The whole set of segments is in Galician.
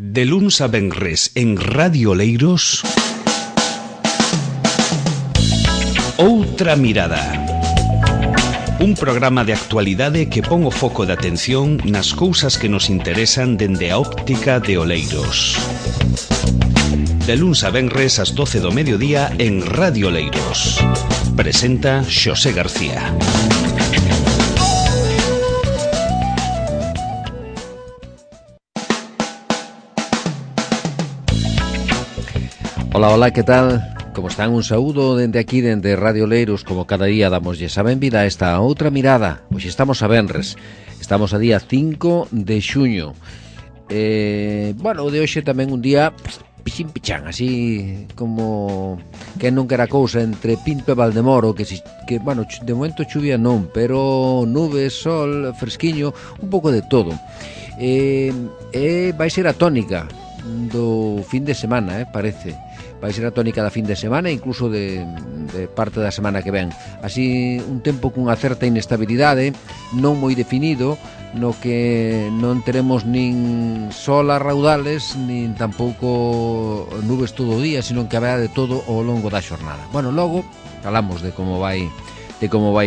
De luns a venres en Radio Oleiros, Outra Mirada. Un programa de actualidade que pon o foco de atención nas cousas que nos interesan dende a óptica de Oleiros. De luns a venres ás 12 do mediodía en Radio Oleiros. Presenta Xosé García. Hola, que tal? Como están? Un saúdo dende aquí, dende Radio Oleiros. Como cada día damoslle a benvida a esta Outra Mirada. Hoxe estamos a venres. Estamos a día 5 de xuño. O de hoxe tamén un día pichín pichán, así como que non quera cousa entre Pinto e Valdemoro, que de momento chuvia non, pero nubes, sol, fresquiño, un pouco de todo. Vai ser a tónica do fin de semana, parece. Vai ser a tónica da fin de semana e incluso de parte da semana que ven. Así, un tempo cunha certa inestabilidade, non moi definido, no que non teremos nin sol a raudales, nin tampouco nubes todo o día, sino que haberá de todo ao longo da xornada. Bueno, logo falamos de como vai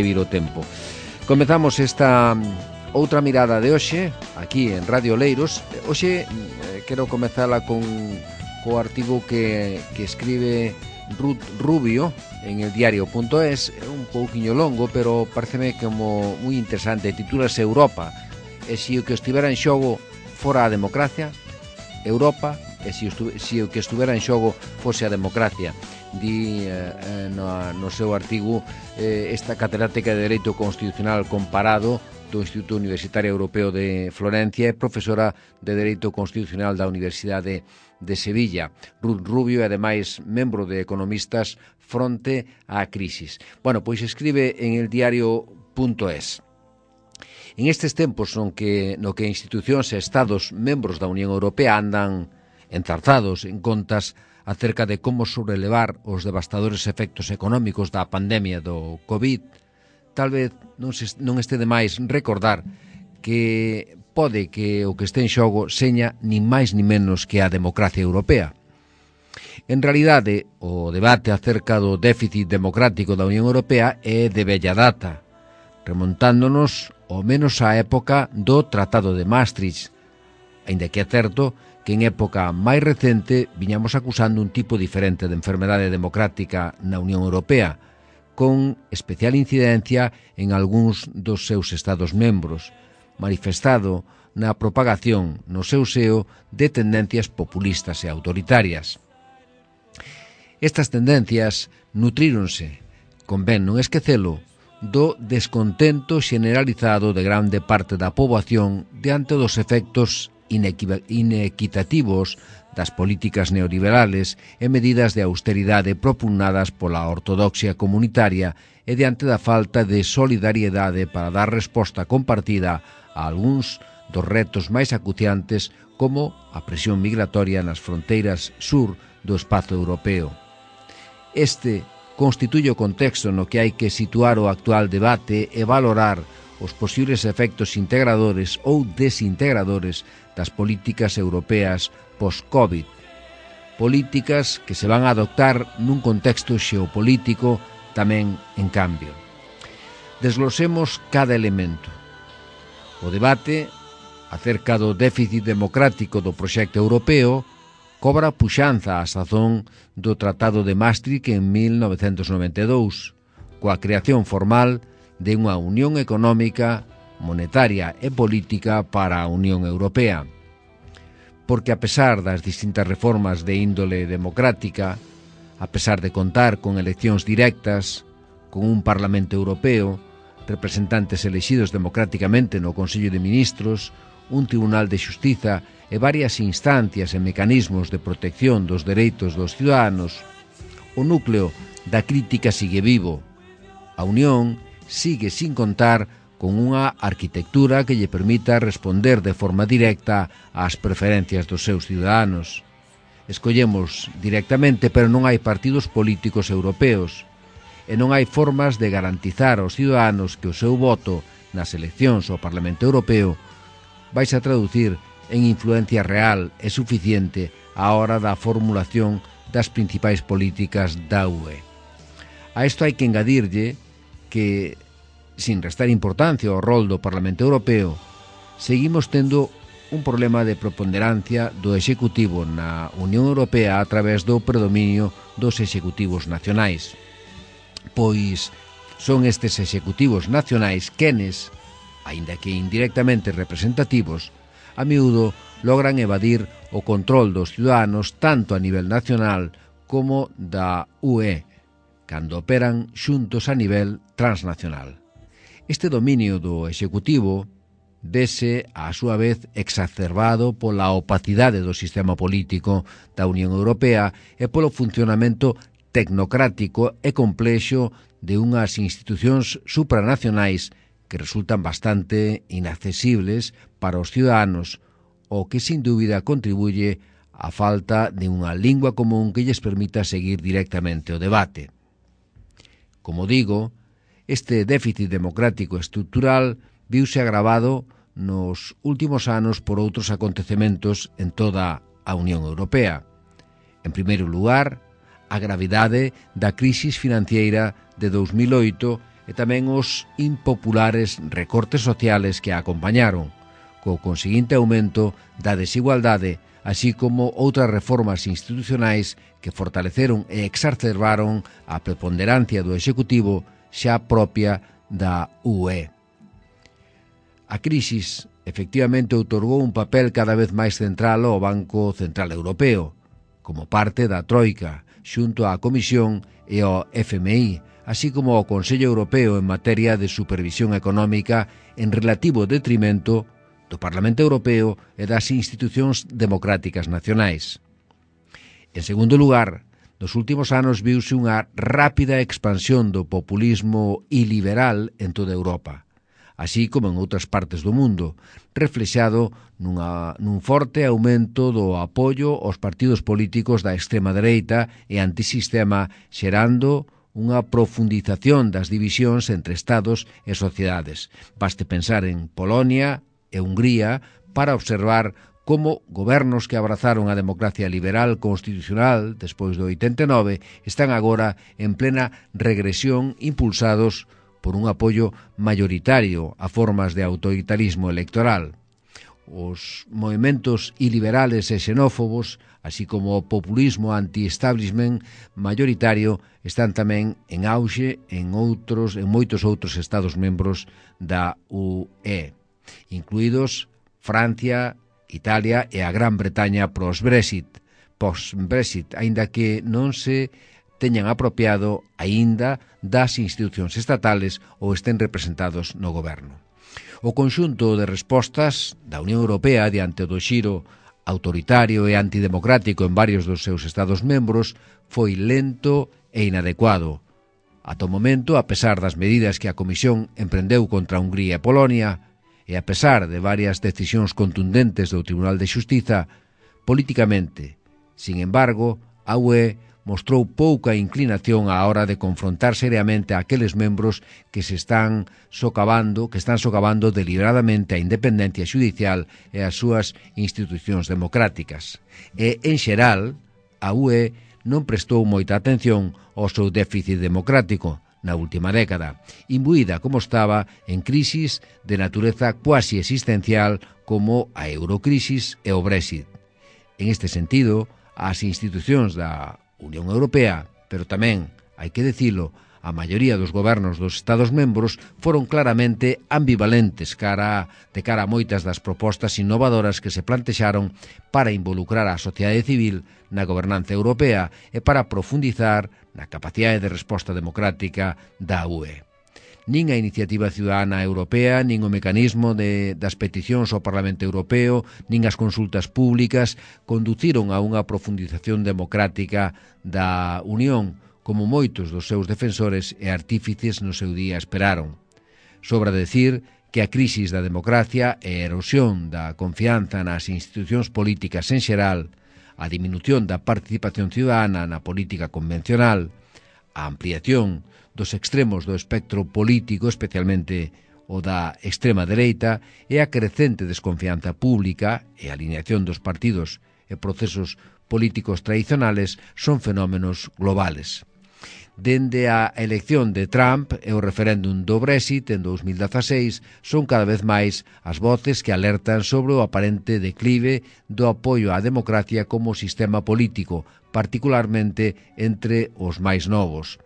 vir o tempo. Comezamos esta outra mirada de hoxe, aquí en Radio Oleiros. Hoxe quero comezala co artigo que escribe Ruth Rubio en el diario.es. É un pouquiño longo, pero pareceme como moi interesante. Titúlase Europa, e se o que estivera en xogo fora a democracia. Europa, e se o que estivera en xogo fose a democracia. Di no seu artigo esta catedrática de Dereito Constitucional Comparado do Instituto Universitario Europeo de Florencia e profesora de Dereito Constitucional da Universidade de Sevilla. Ruth Rubio é ademais membro de Economistas Fronte á Crisis. Bueno, pois escribe en el diario.es. En estes tempos no que institucións e estados membros da Unión Europea andan enzarzados en contas acerca de como sobrelevar os devastadores efectos económicos da pandemia do COVID, tal vez non este de máis recordar que pode que o que este en xogo seña nin máis nin menos que a democracia europea. En realidade, o debate acerca do déficit democrático da Unión Europea é de bella data, remontándonos ao menos á época do Tratado de Maastricht, aínda que é certo que en época máis recente viñamos acusando un tipo diferente de enfermedade democrática na Unión Europea, con especial incidencia en algúns dos seus estados membros, manifestado na propagación no seu seo de tendencias populistas e autoritarias. Estas tendencias nutríronse, convén non esquecelo, do descontento xeneralizado de grande parte da poboación diante dos efectos inequitativos das políticas neoliberales e medidas de austeridade propugnadas pola ortodoxia comunitaria e diante da falta de solidariedade para dar resposta compartida a algúns dos retos máis acuciantes como a presión migratoria nas fronteiras sur do espazo europeo. Este constituye o contexto no que hai que situar o actual debate e valorar os posibles efectos integradores ou desintegradores das políticas europeas post-COVID. Políticas que se van a adoptar nun contexto xeopolítico tamén en cambio. Desglosemos cada elemento. O debate acerca do déficit democrático do proxecto europeo cobra puxanza á sazón do Tratado de Maastricht en 1992, coa creación formal de unha unión económica, monetaria e política para a Unión Europea. Porque a pesar das distintas reformas de índole democrática, a pesar de contar con eleccións directas, con un Parlamento Europeo, representantes elexidos democráticamente no Consello de Ministros, un Tribunal de Xustiza e varias instancias e mecanismos de protección dos dereitos dos ciudadanos, o núcleo da crítica sigue vivo. A Unión sigue sin contar con unha arquitectura que lle permita responder de forma directa ás preferencias dos seus ciudadanos. Escollemos directamente, pero non hai partidos políticos europeos, e non hai formas de garantizar aos ciudadanos que o seu voto nas eleccións ao Parlamento Europeo vai se traducir en influencia real e suficiente á hora da formulación das principais políticas da UE. A isto hai que engadirlle que, sin restar importancia ao rol do Parlamento Europeo, seguimos tendo un problema de preponderancia do Executivo na Unión Europea a través do predominio dos executivos nacionais. Pois son estes executivos nacionais quenes, aínda que indirectamente representativos, a miúdo logran evadir o control dos ciudadanos tanto a nivel nacional como da UE, cando operan xuntos a nivel transnacional. Este dominio do Executivo vese, a súa vez, exacerbado pola opacidade do sistema político da Unión Europea e polo funcionamento tecnocrático e complexo de unhas institucións supranacionais que resultan bastante inaccesibles para os ciudadanos, o que sin dúbida contribuye á falta de unha lingua común que lles permita seguir directamente o debate. Como digo, este déficit democrático estrutural viuse agravado nos últimos anos por outros acontecementos en toda a Unión Europea. En primeiro lugar, a gravidade da crisis financiera de 2008 e tamén os impopulares recortes sociales que a acompañaron, co conseguinte aumento da desigualdade, así como outras reformas institucionais que fortaleceron e exacerbaron a preponderancia do Executivo xa propia da UE. A crisis efectivamente outorgou un papel cada vez máis central ao Banco Central Europeo, como parte da Troika, xunto á Comisión e ao FMI, así como ao Consello Europeo en materia de supervisión económica en relativo detrimento do Parlamento Europeo e das institucións democráticas nacionais. En segundo lugar, nos últimos anos viuse unha rápida expansión do populismo iliberal en toda Europa, así como en outras partes do mundo, reflexado nun forte aumento do apoio aos partidos políticos da extrema dereita e antisistema, xerando unha profundización das divisións entre estados e sociedades. Baste pensar en Polonia e Hungría para observar como gobernos que abrazaron a democracia liberal constitucional despois do 89 están agora en plena regresión impulsados por un apoio mayoritario a formas de autoritarismo electoral. Os movementos iliberales e xenófobos, así como o populismo anti-establishment mayoritario, están tamén en auxe en moitos outros estados membros da UE, incluídos Francia, Italia e a Gran Bretaña post-Brexit, aínda que non se teñan apropiado aínda das institucións estatales ou estén representados no goberno. O conxunto de respostas da Unión Europea diante do xiro autoritario e antidemocrático en varios dos seus estados membros foi lento e inadecuado. Ata o momento, a pesar das medidas que a Comisión emprendeu contra Hungría e Polonia, e a pesar de varias decisións contundentes do Tribunal de Xustiza, políticamente, sin embargo, a UE mostrou pouca inclinación á hora de confrontar seriamente a aqueles membros que están socavando deliberadamente a independencia xudicial e as súas institucións democráticas. E, en xeral, a UE non prestou moita atención ao seu déficit democrático na última década, imbuída como estaba en crisis de natureza cuasi existencial como a eurocrisis e o Brexit. En este sentido, as institucións da Unión Europea, pero tamén, hai que dicilo, a maioría dos gobernos dos Estados membros foron claramente ambivalentes de cara a moitas das propostas innovadoras que se plantexaron para involucrar a sociedade civil na gobernanza europea e para profundizar na capacidade de resposta democrática da UE. Nin a Iniciativa Ciudadana Europea, nin o mecanismo das peticións ao Parlamento Europeo, nin as consultas públicas conduciron a unha profundización democrática da Unión, como moitos dos seus defensores e artífices no seu día esperaron. Sobra decir que a crisis da democracia e a erosión da confianza nas institucións políticas en xeral, a diminución da participación ciudadana na política convencional, a ampliación dos extremos do espectro político, especialmente o da extrema dereita e a crecente desconfianza pública e a alineación dos partidos e procesos políticos tradicionales son fenómenos globales. Dende a elección de Trump e o referéndum do Brexit en 2016 son cada vez máis as voces que alertan sobre o aparente declive do apoio á democracia como sistema político, particularmente entre os máis novos.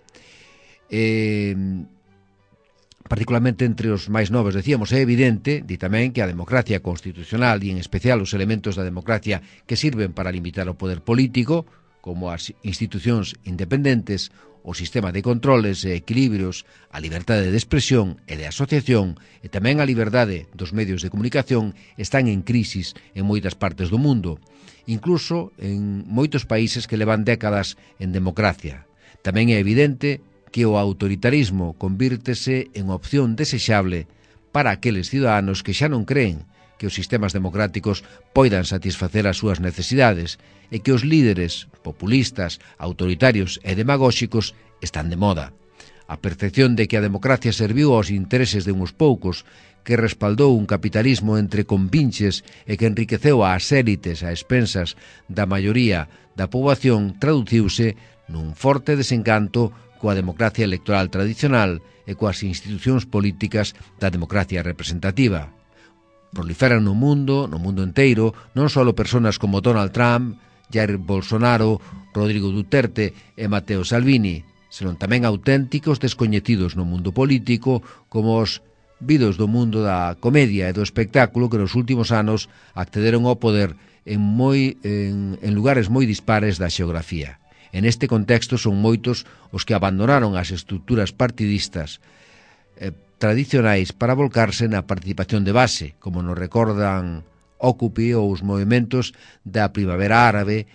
Decíamos, é evidente, di tamén, que a democracia constitucional e en especial os elementos da democracia que sirven para limitar o poder político, como as institucións independentes, o sistema de controles e equilibrios, a liberdade de expresión e de asociación e tamén a liberdade dos medios de comunicación están en crisis en moitas partes do mundo, incluso en moitos países que levan décadas en democracia. Tamén é evidente que o autoritarismo convírtese en opción desexable para aqueles ciudadanos que xa non creen que os sistemas democráticos poidan satisfacer as súas necesidades e que os líderes populistas, autoritarios e demagóxicos están de moda. A percepción de que a democracia serviu aos intereses de uns poucos, que respaldou un capitalismo entre compinches e que enriqueceu ás élites a expensas da maioría da poboación, traduciuse nun forte desencanto coa democracia electoral tradicional e coas institucións políticas da democracia representativa. Proliferan no mundo enteiro, non só persoas como Donald Trump, Jair Bolsonaro, Rodrigo Duterte e Matteo Salvini, senón tamén auténticos descoñecidos no mundo político, como os vidos do mundo da comedia e do espectáculo que nos últimos anos accederon ao poder en lugares moi dispares da xeografía. En este contexto son moitos os que abandonaron as estruturas partidistas tradicionais para volcarse na participación de base, como nos recordan Occupy ou os movimentos da Primavera Árabe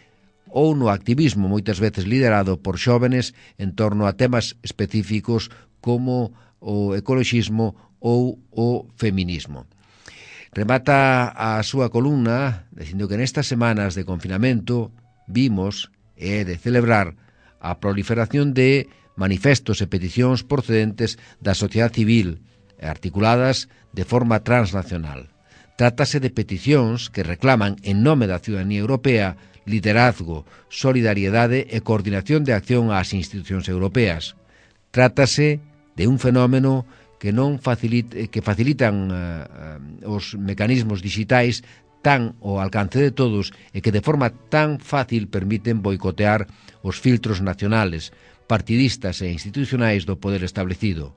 ou no activismo moitas veces liderado por xóvenes en torno a temas específicos como o ecoloxismo ou o feminismo. Remata a súa columna dicindo que nestas semanas de confinamento vimos e de celebrar a proliferación de manifestos e peticións procedentes da sociedade civil e articuladas de forma transnacional. Trátase de peticións que reclaman en nome da ciudadanía europea liderazgo, solidariedade e coordinación de acción ás institucións europeas. Trátase de un fenómeno que facilitan os mecanismos digitais tan ao alcance de todos e que de forma tan fácil permiten boicotear os filtros nacionales, partidistas e institucionais do poder establecido.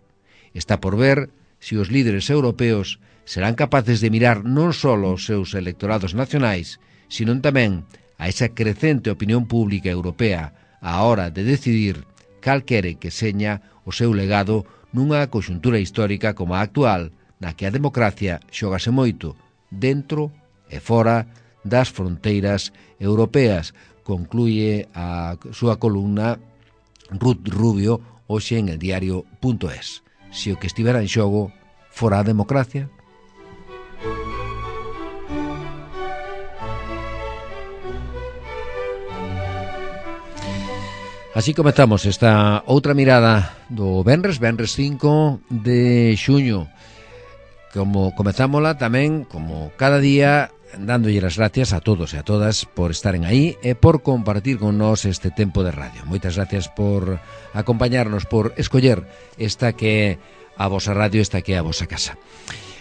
Está por ver se os líderes europeos serán capaces de mirar non só aos seus electorados nacionais, sino tamén a esa crecente opinión pública europea á hora de decidir cal quere que seña o seu legado nunha conxuntura histórica como a actual, na que a democracia xógase moito, dentro e fora das fronteiras europeas, concluye a súa columna Ruth Rubio hoxe en eldiario.es. Se o que estivera en xogo fora a democracia. Así comezamos esta outra mirada do Venres 5 de xuño. Como comezámola tamén, como cada día, dándolle as gracias a todos e a todas por estaren aí e por compartir con nós este tempo de radio. Moitas gracias por acompañarnos, por escoller esta que é a vosa radio, esta que é a vosa casa.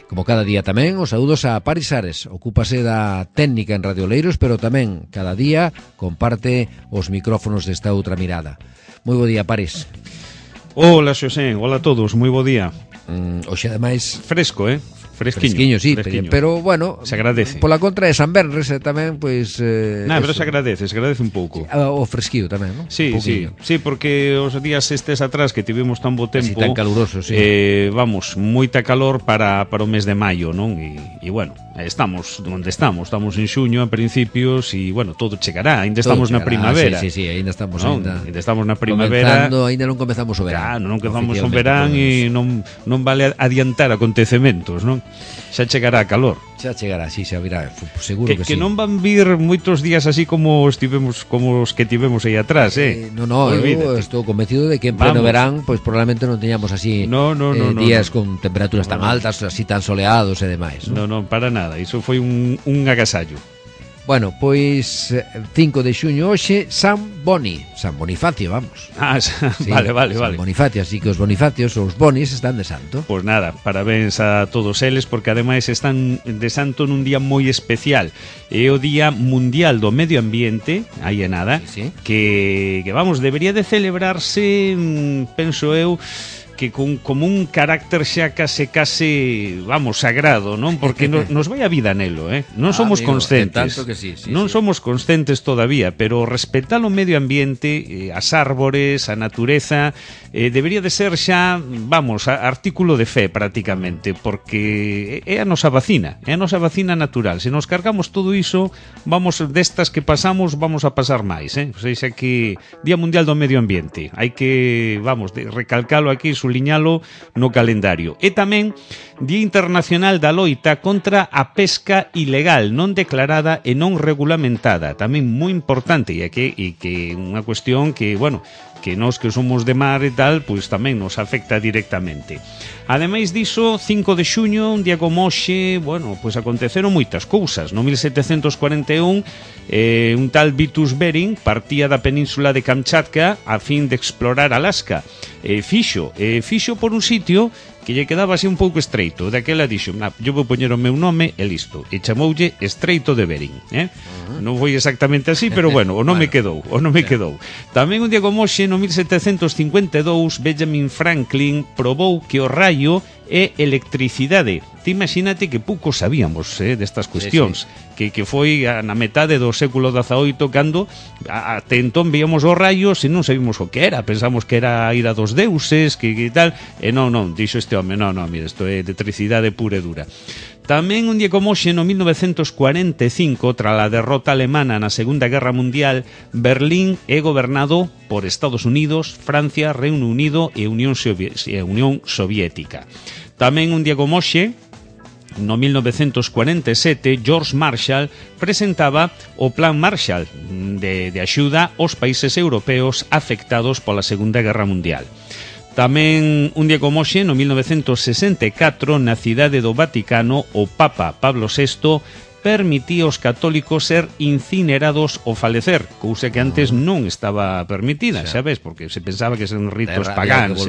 Como cada día tamén, os saúdos a Paris Ares, ocúpase da técnica en Radio Oleiros, pero tamén cada día comparte os micrófonos desta outra mirada. Moi bo día, Paris. Hola, Xosé, hola a todos, moi bo día. Hoxe ademais fresco, Fresquiño, sí, fresquiño. Pero bueno, se agradece. Pola contra de San Benres tamén, pois pero se agradece un pouco. O fresquío tamén, non? Sí, porque os días estes atrás que tivemos tan bo tempo, así tan calurosos, sí. Vamos, moita calor para o mes de maio, non? E bueno, estamos onde estamos en xuño a principios e bueno, todo chegará, ainda estamos na primavera. Sí, ainda estamos ainda estamos na primavera. Ainda non comezamos o verán. Claro, non comezamos o verán e non vale adiantar acontecementos, non? Xa chegará a calor. Xa chegará, sí, xa virá, seguro que sí. Que non van vir moitos días así como os que tivemos aí atrás, No, eu estou convencido de que en pleno verán, pois probablemente non teñamos así días con temperaturas tan altas, así tan soleados e demais. Non, para nada, iso foi un agasallo. Bueno, pois 5 de xuño hoxe, San Bonifacio, vamos. Sí, vale. San Bonifacio, así que os Bonifacios, os Bonis, están de santo. Pois nada, parabéns a todos eles, porque ademais están de santo nun día moi especial. É o Día Mundial do Medio Ambiente, aí é nada, que vamos, debería de celebrarse, penso eu, que como un carácter xa case, vamos, sagrado, non? Porque nos vai a vida nelo, Non somos conscientes. Non somos conscientes todavía, pero respetar o medio ambiente, as árbores, a natureza, debería de ser xa, vamos, artículo de fe prácticamente, porque é a nosa vacina natural. Se nos cargamos todo iso, vamos, destas que pasamos, vamos a pasar máis, O sea, que Día Mundial do Medio Ambiente, hai que, vamos, recalcalo aquí, suliñalo no calendario. E tamén Día Internacional da Loita contra a pesca ilegal, non declarada e non regulamentada, tamén moi importante, e que unha cuestión que, bueno, que nós que somos de mar e tal, pois tamén nos afecta directamente. Ademais diso, 5 de xuño, un día como hoxe, bueno, pois aconteceron moitas cousas. No 1741, un tal Vitus Bering partía da península de Kamchatka a fin de explorar Alaska. Fixo por un sitio que lle quedaba así un pouco estreito. Daquela dixo, yo vou poñer o meu nome e listo. E chamoulle Estreito de Bering, Non foi exactamente así, pero bueno, o nome quedou. Tamén un día como hoxe, no 1752, Benjamin Franklin probou que o raio é electricidade. Ti imagínate que pouco sabíamos destas cuestións, que foi na metade do século XVIII cando até entón víamos os raios e non sabíamos o que era, pensamos que era a ira dos deuses, que tal, e non, dixo este home, mira, isto é electricidade pura e dura. Tamén un día como hoxe, no 1945, tras a derrota alemana na Segunda Guerra Mundial, Berlín é gobernado por Estados Unidos, Francia, Reino Unido e Unión Soviética. Tamén un día como hoxe, no 1947, George Marshall presentaba o Plan Marshall de axuda aos países europeos afectados pola Segunda Guerra Mundial. Tamén un día como hoxe, no 1964, na cidade do Vaticano, o Papa Pablo VI permitía aos católicos ser incinerados ao falecer, cousa que antes non estaba permitida, sabes, porque se pensaba que eran ritos pagáns.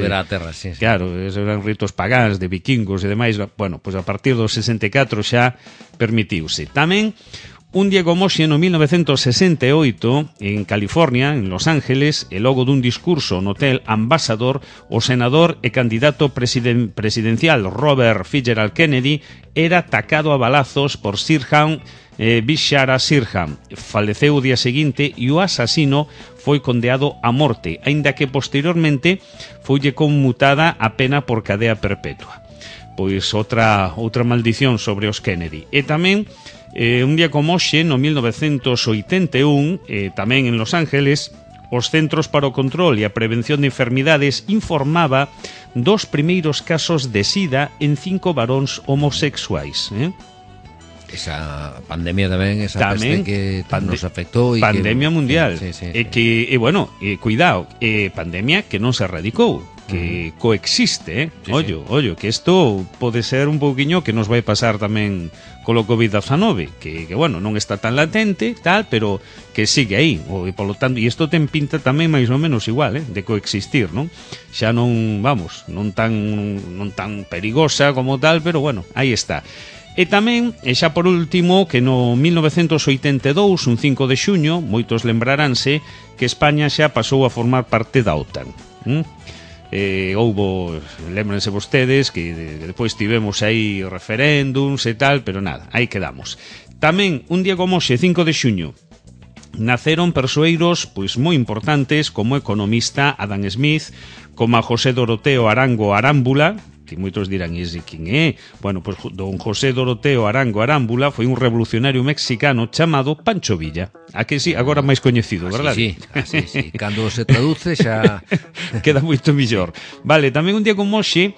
Claro, eran ritos pagáns de vikingos e demais. Bueno, pois a partir do 64 xa permitiuse. Tamén un día como hoxe, no 1968, en California, en Los Ángeles, e logo dun discurso no Hotel Ambassador, o senador e candidato presidencial Robert Fitzgerald Kennedy era atacado a balazos por Sirhan Bishara Sirhan. Faleceu o día seguinte e o asasino foi condeado a morte, aínda que posteriormente foille conmutada a pena por cadea perpetua. Pois outra maldición sobre os Kennedy. E tamén un día como hoxe, no 1981, tamén en Los Ángeles, os Centros para o Control e a Prevención de Enfermidades informaba dos primeiros casos de SIDA en 5 varóns homosexuais. Esa pandemia tamén, esa peste que nos afectou. Pandemia mundial. Cuidado, pandemia que non se erradicou, que coexiste, ollo, que isto pode ser un pouquiño que nos vai pasar tamén colo COVID-19, que bueno, non está tan latente, tal, pero que sigue aí, e polo tanto, e isto ten pinta tamén máis ou menos igual, de coexistir, non? Xa non, vamos, non tan perigosa como tal, pero bueno, aí está. E tamén, e xa por último, que no 1982, un 5 de xuño, moitos lembraránse que España xa pasou a formar parte da OTAN. Houbo, lembranse vostedes que depois tivemos aí referéndums e tal, pero nada, aí quedamos. Tamén, un día como hoxe, 5 de xuño, naceron persoeiros pois moi importantes como o economista Adam Smith, como a José Doroteo Arango Arámbula, que moitos dirán, ese quen é? Bueno, pois don José Doroteo Arango Arámbula foi un revolucionario mexicano chamado Pancho Villa. A que sí, agora máis coñecido, verdad? Sí. Cando se traduce xa queda moito mellor. Vale, tamén un día como hoxe,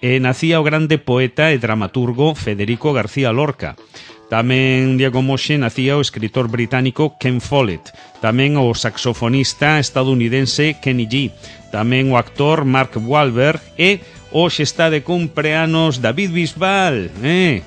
nacía o grande poeta e dramaturgo Federico García Lorca. Tamén, día como hoxe, nacía o escritor británico Ken Follett. Tamén o saxofonista estadounidense Kenny G. Tamén o actor Mark Wahlberg e hoxe está de cumpleanos David Bisbal.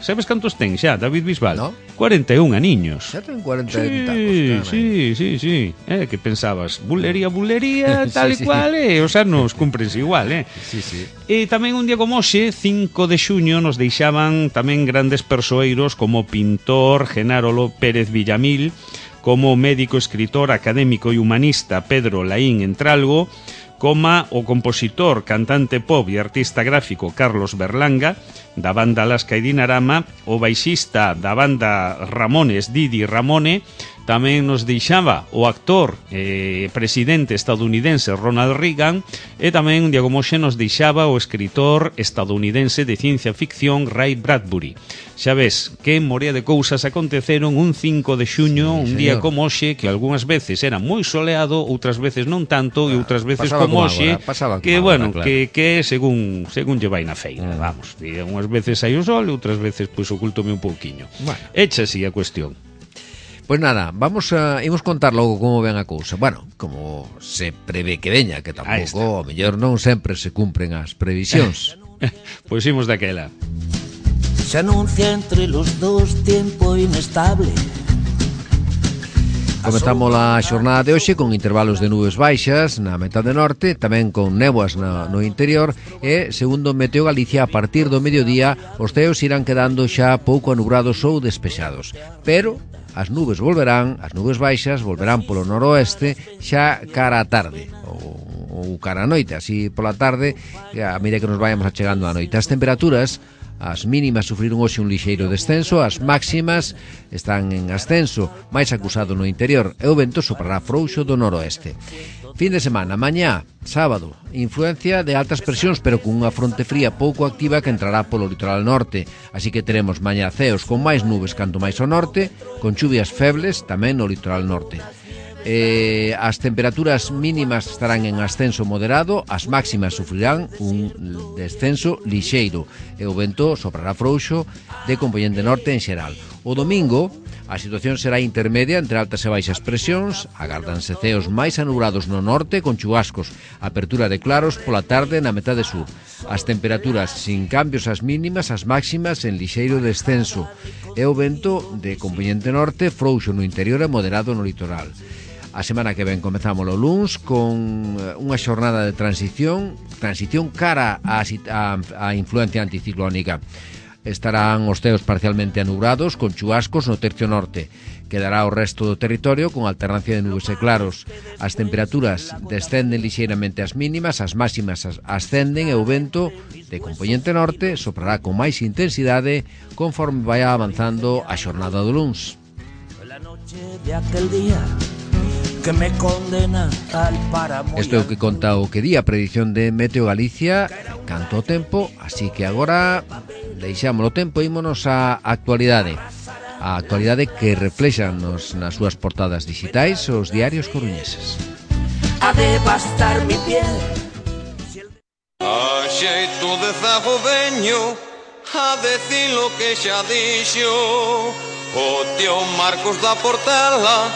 Sabes cantos ten xa, David Bisbal? No. 41 aniños. Xa ten 40 tacos. Sí. Que pensabas? Bulería, tal e cual, os anos cúmprense igual, Sí. E tamén un día como hoxe, 5 de xuño, nos deixaban tamén grandes persoeiros como o pintor Genaro Pérez Villamil, como o médico, escritor, académico e humanista Pedro Laín Entralgo, como o compositor, cantante pop e artista gráfico Carlos Berlanga, da banda Alaska e Dinarama, o baixista da banda Ramones, Didi Ramone. Tamén nos deixaba o actor presidente estadounidense Ronald Reagan, e tamén un día como hoxe nos deixaba o escritor estadounidense de ciencia ficción Ray Bradbury. Xa ves, que morea de cousas aconteceron un 5 de xuño, un día como hoxe, que algunhas veces era moi soleado, outras veces non tanto, e outras veces como hoxe, que bueno, claro, que según lle vai na feira, vamos, e unhas veces hai o sol e outras veces pois ocultome un pouquiño. Echa así a cuestión. Pois nada, imos contar logo como ven a cousa. Bueno, como se prevé que veña, que tampouco, o mellor non sempre se cumpren as previsións. Pois imos daquela. Se anuncia entre los dos tiempo inestable. Comezamos a xornada de hoxe con intervalos de nubes baixas na metade norte, tamén con néboas no interior, e, segundo Meteo Galicia, a partir do mediodía os ceos irán quedando xa pouco anubrados ou despexados. Pero as nubes baixas volverán polo noroeste xa cara á tarde ou cara á noite, así pola tarde, a medida que nos vayamos achegando á noite. As temperaturas, as mínimas sufriron hoxe un lixeiro descenso, as máximas están en ascenso, máis acusado no interior, e o vento soprará frouxo do noroeste. Fin de semana, mañá, sábado, influencia de altas presións, pero con unha fronte fría pouco activa que entrará polo litoral norte, así que teremos mañá ceos con máis nubes canto máis ao norte, con chuvias febles tamén no litoral norte. As temperaturas mínimas estarán en ascenso moderado, as máximas sufrirán un descenso lixeiro e o vento soprará frouxo de compoñente norte en xeral. O domingo a situación será intermedia entre altas e baixas presións, agárdanse ceos máis anubrados no norte con chubascos, apertura de claros pola tarde na metade sur. As temperaturas sin cambios as mínimas, as máximas en lixeiro descenso e o vento de compoñente norte frouxo no interior e moderado no litoral. A semana que ven comezamos o luns con unha xornada de transición cara á influencia anticiclónica. Estarán os ceos parcialmente anubrados con chubascos no tercio norte. Quedará o resto do territorio con alternancia de nubes e claros. As temperaturas descenden lixeiramente as mínimas, as máximas ascenden e o vento de compoñente norte soprará con máis intensidade conforme vai avanzando a xornada do luns. Isto é o que conta o que di a predición de Meteo Galicia canto o tempo, así que agora deixamos o tempo e ímonos á actualidade. A actualidade que reflexan nas súas portadas digitais os diarios coruñeses. A devastar mi piel. A xeito de zago veño a decir lo que xa dixo o tío Marcos da Portela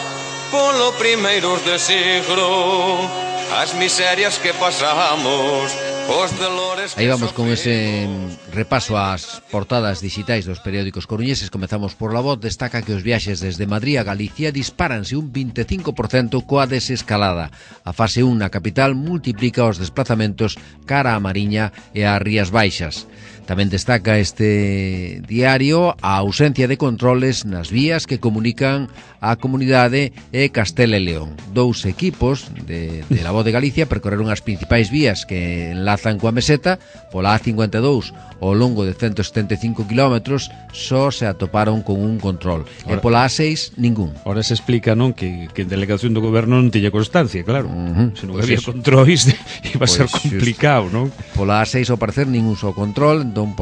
polo primeiros de siglo, as miserias que pasamos, os dolores que aí vamos con ese repaso ás portadas digitais dos periódicos coruñeses. Comezamos por La Voz. Destaca que os viaxes desde Madrid a Galicia dispáranse un 25% coa desescalada. A fase 1 na capital multiplica os desplazamentos cara á Mariña e ás Rías Baixas. Tamén destaca este diario a ausencia de controles nas vías que comunican a comunidade e Castela e León. Dous equipos de La Voz de Galicia percorreron as principais vías que enlazan coa meseta. Pola A52 ao longo de 175 kilómetros só se atoparon con un control. E pola A6 ningún. Ora se explica, non, que a delegación do goberno non tiña constancia, claro. Se non había eso. controis iba a ser complicado, non? Pola A6 ao parecer ningún só control, entón,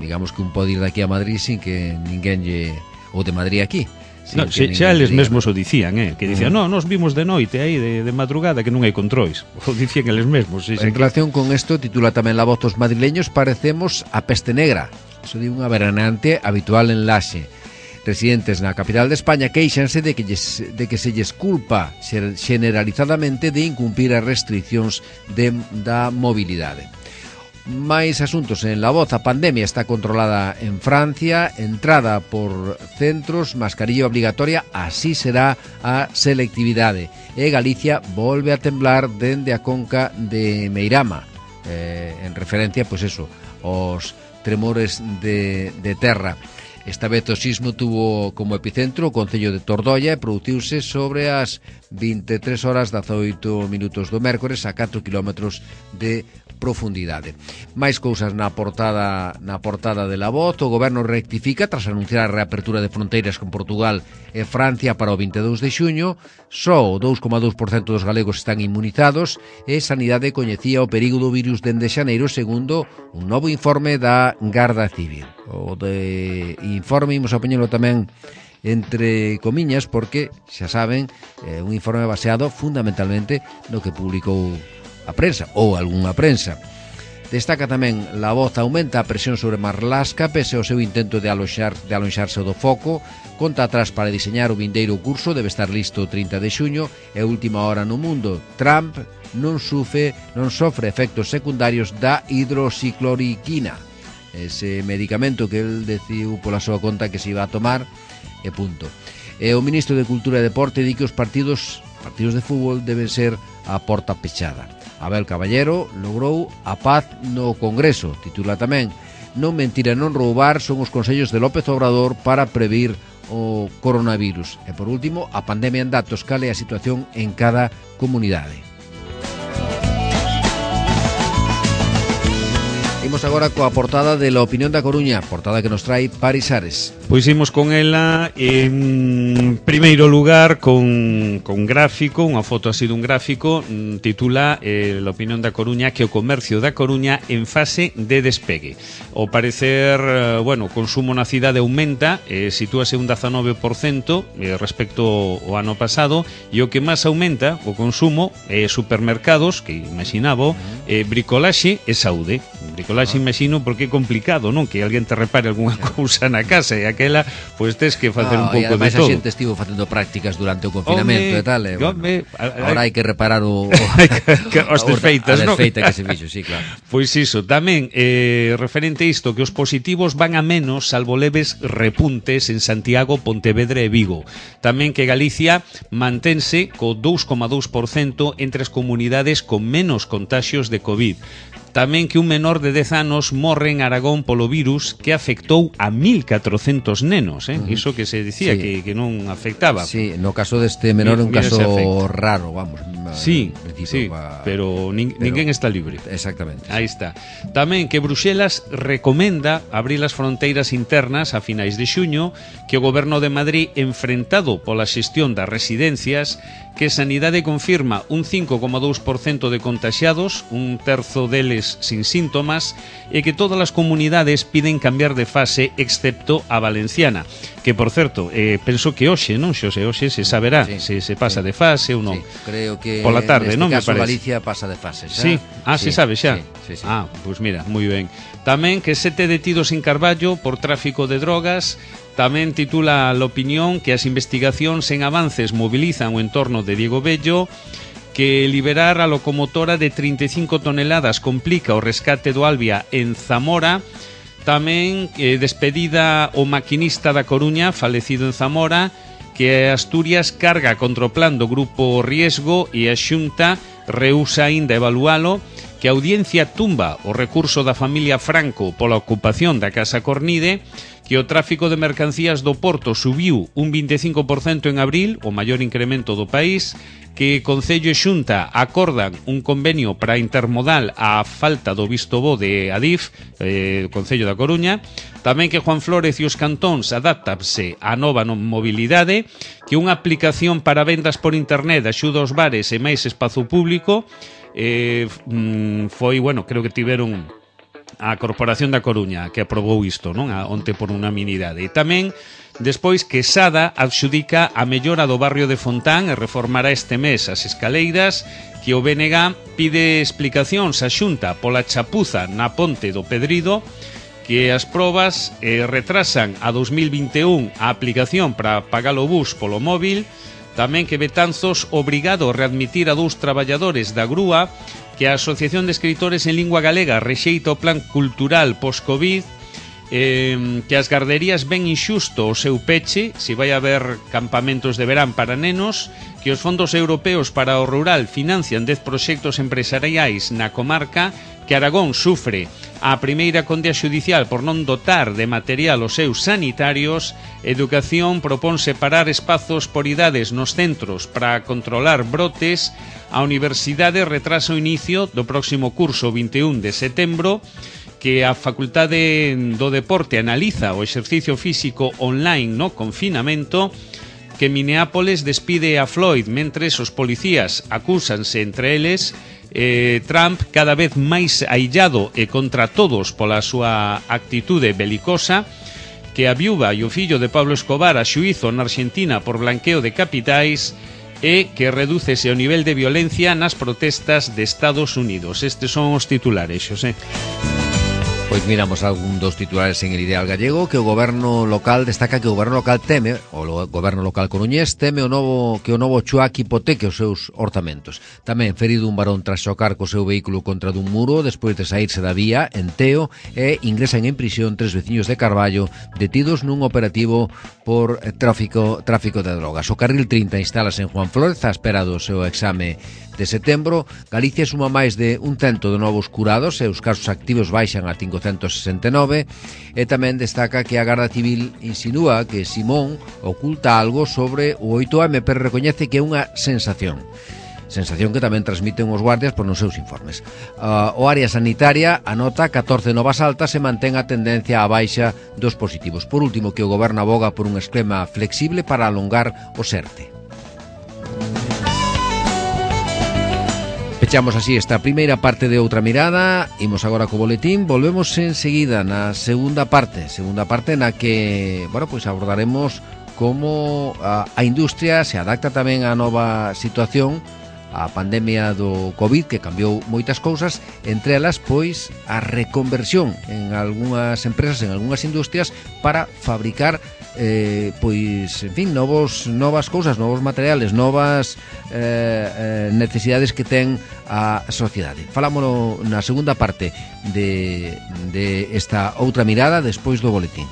digamos que un pode ir daqui a Madrid sin que ninguén lle... ou de Madrid aquí, Sí, no, xa eles mesmos o dicían, que dicían, no, nos vimos de noite aí, de madrugada, que non hai controis. O dicían eles mesmos. En relación con isto, titula tamén La Voz dos madrileños, parecemos a peste negra. Iso di unha veraneante habitual en Laxe. Residentes na capital de España queixanse de que se lles culpa generalizadamente de incumprir as restriccións da mobilidade. Máis asuntos en La Voz. A pandemia está controlada en Francia, entrada por centros, mascarilla obligatoria, así será a selectividade. E Galicia volve a temblar dende a conca de Meirama, en referencia, pois eso, aos tremores de terra. Esta vez o sismo tuvo como epicentro o concello de Tordolla e produciuse sobre as 23 horas 18 minutos do mércores a 4 kilómetros de profundidade. Máis cousas na portada de La Voz. O goberno rectifica tras anunciar a reapertura de fronteiras con Portugal e Francia para o 22 de xuño. Só o 2,2% dos galegos están inmunizados e Sanidade coñecía o perigo do virus dende xaneiro segundo un novo informe da Garda Civil. O de informe imos a poñelo tamén entre comiñas porque, xa saben, un informe baseado fundamentalmente no que publicou a prensa ou algunha prensa. Destaca tamén La Voz aumenta a presión sobre Marlaska pese ao seu intento de alonxarse do foco. Conta atrás para diseñar o vindeiro curso, debe estar listo o 30 de xuño e última hora no mundo. Trump non sofre efectos secundarios da hidroxicloroquina, ese medicamento que el decidiu pola súa conta que se iba a tomar e punto. E o ministro de Cultura e Deporte di que os partidos de fútbol deben ser a porta pechada. Abel Caballero logrou a paz no Congreso. Titula tamén: non mentir e non roubar son os consellos de López Obrador para previr o coronavirus. E por último, a pandemia en datos, cal é a situación en cada comunidade. Imos agora coa portada de La Opinión da Coruña, portada que nos trae Paris Ares. Pois imos con ela en primeiro lugar con gráfico, unha foto así dun gráfico, titula La Opinión da Coruña que o comercio da Coruña en fase de despegue. Ao parecer, o consumo na cidade aumenta, sitúase un 19% respecto ao ano pasado, e o que máis aumenta o consumo é supermercados, que imaginaba, bricolaxe e saúde. Bricolaxe imagino porque é complicado, non? Que alguén te repare algunha cousa na casa e aquela, pois tes que facer un pouco de todo. E ademais a xente estivo facendo prácticas durante o confinamento e tal, agora hai que reparar as desfeitas, non? A desfeita que se fixo, sí, claro. Pois iso, tamén referente a isto, que os positivos van a menos, salvo leves repuntes en Santiago, Pontevedra e Vigo. Tamén que Galicia mantense co 2,2% entre as comunidades con menos contaxios de COVID. Tamén que un menor de 10 anos morre en Aragón polo virus que afectou a 1.400 nenos, Iso que se dicía sí, que non afectaba. Sí, no caso deste menor é un caso raro, vamos. Sí, pero ninguén está libre. Exactamente. Aí está. Tamén que Bruxelas recomenda abrir as fronteiras internas a finais de xuño, que o goberno de Madrid, enfrentado pola xestión das residencias, que Sanidade confirma un 5,2% de contaxiados, un terzo deles sin síntomas, e que todas as comunidades piden cambiar de fase excepto a valenciana, que por certo, penso que hoxe, non, Xosé, hoxe se saberá se pasa de fase ou non. Sí, creo que pola tarde, non me parece. Galicia pasa de fase, xa. Sí, se sabe xa. Sí. Pois mira, moi ben. Tamén que 7 detidos en Carballo por tráfico de drogas. Tamén titula La Opinión que as investigacións en avances mobilizan o entorno de Diego Bello, que liberar a locomotora de 35 toneladas complica o rescate do Albia en Zamora. Tamén despedida o maquinista da Coruña, falecido en Zamora, que Asturias carga contra o plan do Grupo Riesgo e a Xunta rehúsa aínda evalualo, que a Audiencia tumba o recurso da familia Franco pola ocupación da Casa Cornide, que o tráfico de mercancías do Porto subiu un 25% en abril, o maior incremento do país, que Concello e Xunta acordan un convenio para intermodal á falta do visto bo de Adif, Concello da Coruña, tamén que Juan Flórez e os cantóns adáptanse á nova mobilidade, que unha aplicación para vendas por internet axuda aos bares e máis espazo público, foi, creo que tiveron a Corporación da Coruña, que aprobou isto, non? Onte por unanimidade. E tamén, despois, que Sada adxudica a mellora do barrio de Fontán e reformará este mes as escaleiras, que o BNG pide explicacións á Xunta pola chapuza na ponte do Pedrido, que as probas retrasan a 2021 a aplicación para pagar o bus polo móvil, tamén que Betanzos obrigado a readmitir a 2 traballadores da grúa, que a Asociación de Escritores en Lingua Galega rexeita o plan cultural post-Covid, que as garderías ven inxusto o seu peche, se vai haber campamentos de verán para nenos, que os fondos europeos para o rural financian 10 proxectos empresariais na comarca, que Aragón sufre a primeira condea xudicial por non dotar de material os seus sanitarios. Educación propón separar espazos por idades nos centros para controlar brotes. A Universidade retrasa o inicio do próximo curso 21 de setembro, que a Facultade do Deporte analiza o exercicio físico online no confinamento, que Minneapolis despide a Floyd mentres os policías acúsanse entre eles, Trump cada vez máis aillado e contra todos pola súa actitude belicosa, que a viúva e o fillo de Pablo Escobar a xuízo na Argentina por blanqueo de capitais, e que redúcese o nivel de violencia nas protestas de Estados Unidos. Estes son os titulares, Xosé. Pois miramos algún dos titulares en el Ideal Gallego, que o goberno local destaca que o goberno local teme, o goberno local coruñés teme que o novo Chuac hipoteque os seus orzamentos. Tamén ferido un varón tras chocar co seu vehículo contra dun muro despois de saírse da vía en Teo, e ingresan en prisión 3 veciños de Carballo detidos nun operativo por tráfico de drogas. O carril 30 instalase en Juan Flórez á espera do seu exame de setembro. Galicia suma máis de 100 de novos curados e os casos activos baixan a 569, e tamén destaca que a Garda Civil insinúa que Simón oculta algo sobre o 8M, pero recoñece que é unha sensación que tamén transmiten os guardias por nos seus informes. O área sanitaria anota 14 novas altas e mantén a tendencia á baixa dos positivos. Por último, que o goberno aboga por un esquema flexible para alongar o SERTE. Pechamos así esta primeira parte de Outra Mirada. Imos agora co boletín. Volvemos enseguida na segunda parte na que, bueno, pois abordaremos como a industria se adapta tamén á nova situación, a pandemia do Covid, que cambiou moitas cousas, entre elas, pois, a reconversión en algunhas empresas, en algunhas industrias, para fabricar pois, en fin, novas cousas, novos materiales, novas necesidades que ten a sociedade. Falámoslo na segunda parte de esta Outra Mirada despois do boletín.